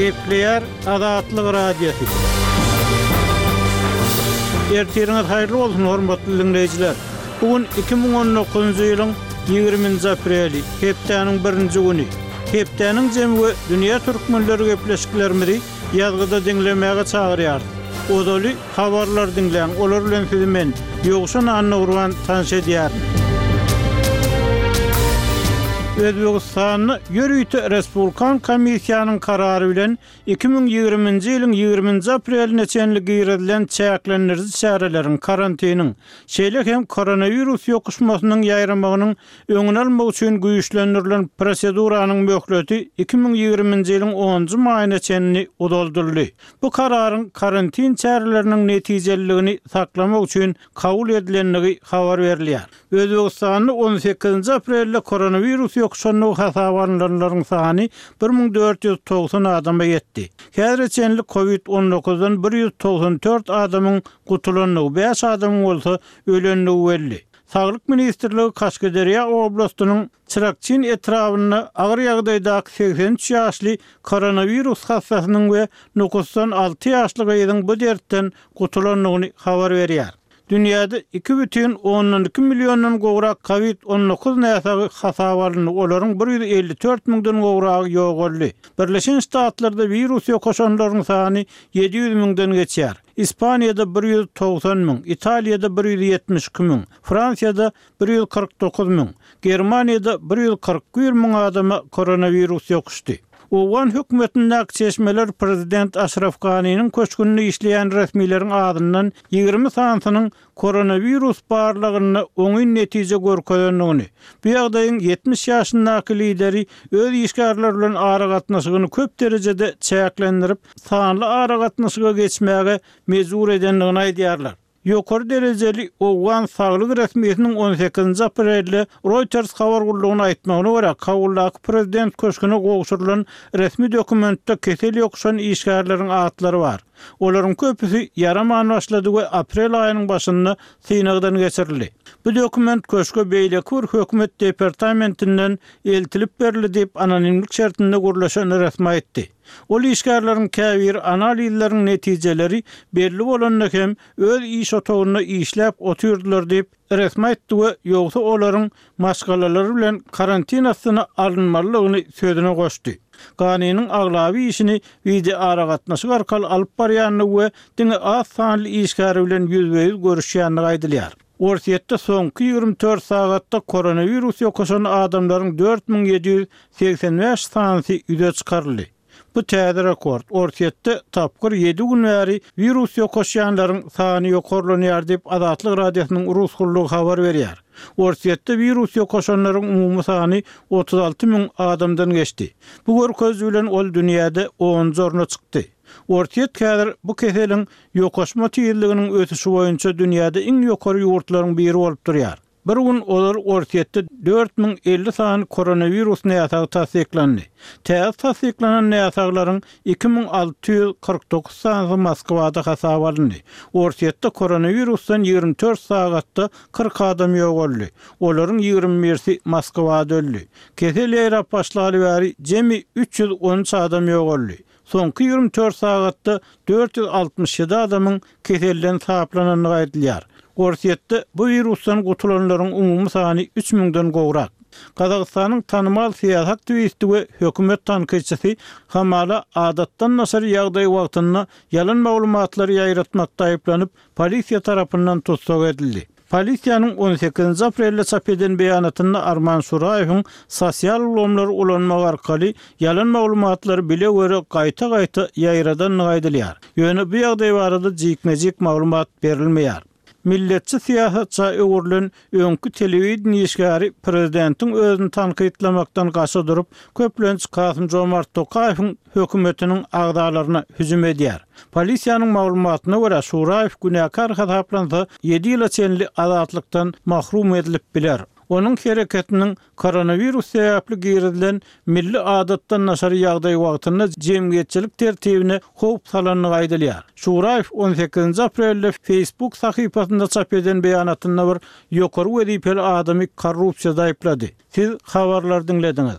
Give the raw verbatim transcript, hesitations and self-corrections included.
Gepleýär Azatlyk Radiosy. Ertiriňiz haýyrly bolsun, hormatly dinleýjiler. Bu gün iki müň on dokuzynjy ýylyň ýigriminji apreli, hepdäniň birinji güni. Hepdäniň jemi we dünýä türkmenleri gepleşiklerimizi ýazgyda diňlemäge çagyrýarys. Ozaly habarlar diňläň, olar bilen sizi men, Ýowşan Annagurban tanyş edýärin. Özbegistanda ýörite Respublikan komissiýanyň karary bilen iki müň ýigriminji ýylyň ýigriminji apreline çenli girizilen çäklendiriji çäreleriň, karantiniň, şeýle hem koronawirus ýokuşmasynyň ýaýramagynyň öňüni almak üçin güýçlendirilen proseduranyň möhleti iki müň ýigriminji ýylyň onunjy maýyna çenli uzaldyldy. Bu kararyň karantin çäreleriniň netijeliligini saklamak üçin kabul edilendigi habar berilýär. Özbegistanda on sekizinji aprelde koronawirus ýokuşanlygy hasaba alynanlaryň sany bir müň dört ýüz togsan adama ýetdi. Häzire çenli kovid on dokuzdan bir ýüz togsan dört adamyň gutulandygy, bäş adamyň bolsa ölendigi belli. Saglyk ministrligi Kaşgaderýa oblastynyň Çyrakçyn etrabynda agyr ýagdaýdaky segsen üç ýaşly koronawirus hassasynyň we Nukusdan alty ýaşly gyzyň bu dertden gutulandygyny habar berýär. Dünýäde iki bütin ondan iki milliondan gowrak kovid on dokuz näsagy hasaba alyndy, olaryň bir ýüz elli dört müňden gowragy ýogaldy. Birleşen Ştatlarda wirus ýokaşanlaryň sany ýedi ýüz müňden geçýär. Ispaniýada bir ýüz togsan müň, Italiýada bir ýüz ýetmiş iki müň, Fransiýada bir ýüz kyrk dokuz müň, Germaniýada bir ýüz kyrk bir müň adama koronawirus ýokuşdy. Owgan hökümetindäki çeşmeler prezident Aşraf Ganiniň köşgünde işleýän resmileriň adyndan ýigrimi sanysynyň koronawirus barlagynda oňyn netije görkezendigini, bu ýagdaýyň ýetmiş ýaşyndaky lideri öz işgärleri bilen aragatnaşygyny köp derejede çäklendirip, sanly aragatnaşyga geçmäge mejbur edendigini aýdýarlar. Ýokary derejeli Owgan saglyk resmisiniň on sekizinji aprelde Reuters habar gullugyna aýtmagyna görä, Kabuldaky prezident köşgüne gowşurylan resmi dokumentde kesel ýokuşan işgärleriň atlary bar. Olaryň köpüsi ýaraman başlady we aprel aýynyň başynda synagdan geçirildi. Bu dokument köşge beýleki bir hökümet departamentinden eltilip berildi diýip, anonimlik şertinde gürleşen resmi aýtdy. Ol işgärleriň käbiri analizleriň netijeleri belli bolanda hem öz iş otagynda işläp otyrdylar diýip, resmi aýtdy we ýogsa olaryň maşgalalary bilen karantin astyna alynmalydygyny sözüne goşdy. Ganiniň aglaby işini wideo aragatnaşyk arkaly alyp barýandygy we diňe az sanly işgäri bilen ýüzbe-ýüz görüşýändigi aýdylýar. Orsýetde soňky ýigrimi dört sagatda koronawirus ýokaşan adamlaryň dört müň ýedi ýüz segsen bäş sanysy ýüze çykaryldy. Bu täze rekord. Orsýetde tapgyr ýedi gün bäri wirus ýokaşýanlaryň sany ýokarlanýar diýip, Azatlyk Radiosynyň rus gullugy habar berýär. Orsýetde wirus ýokaşanlaryň umumy sany otuz alty müň adamdan geçdi. Bu görkeziji bilen ol dünýäde onunjy orna çykdy. Orsýet häzir bu keseliň ýokaşma tizliginiň ösüşi boýunça dünýäde iň ýokary ýurtlaryň biri bolup durýar. Bir gün olar Orsýetde dört müň elli sany koronawirus näsagy tassyklandy. Täze tassyklanan näsaglaryň iki müň alty ýüz kyrk dokuz sanysy Moskwada hasaba alyndy. Orsýetde koronawirusdan ýigrimi dört sagatda kyrk adam ýogaldy. Olaryň ýigrimi birisi Moskwada öldi. Kesel ýaýrap başlaly bäri jemi üç ýüz on üç adam ýogaldy. Soňky ýigrimi dört sagatda dört ýüz altmyş ýedi adamyň keselden saplanandygy aýdylýar. Orsýetde bu wirusdan gutulanlaryň umumy sany üç müňden gowrak. Gazagystanyň tanymal syýasy aktiwisti we hökümet tankytçysy hamala adatdan daşary ýagdaý wagtynda ýalan maglumatlary ýaýratmakda aýyplanyp, polisiýa tarapyndan tussag edildi. Polisiýanyň on sekizinji aprelde çap eden beýanatynda Arman Şuraýewiň sosial ulgamlary ulanmak arkaly ýalan maglumatlary bile göre gaýta-gaýta ýaýradandygy aýdylýar. Ýöne bu ýagdaý barada jikme-jik maglumat berilmeýär. Milletçi syýasatça öwrülen öňki telewideniýe işgäri prezidentiň özüni tankytlamakdan gaça durup, köplenç Kasym-Jomart Tokaýewiň hökümetiniň agzalaryna hüjüm edýär. Polisiýanyň maglumatyna görä, Şuraýew günäkär hasaplansa, ýedi ýyla çenli azatlykdan mahrum edilip biler. Onuň hereketiniň koronawirus sebäpli girizilen milli adatdan daşary ýagdaý wagtynda jemgyýetçilik tertibine howp salandygy aýdylýar. Şuraýew on sekizinji aprelde Facebook sahypasynda çap eden beýanatynda bir ýokary wezipeli adamy korrupsiýada aýyplady. Siz habarlary diňlediňiz.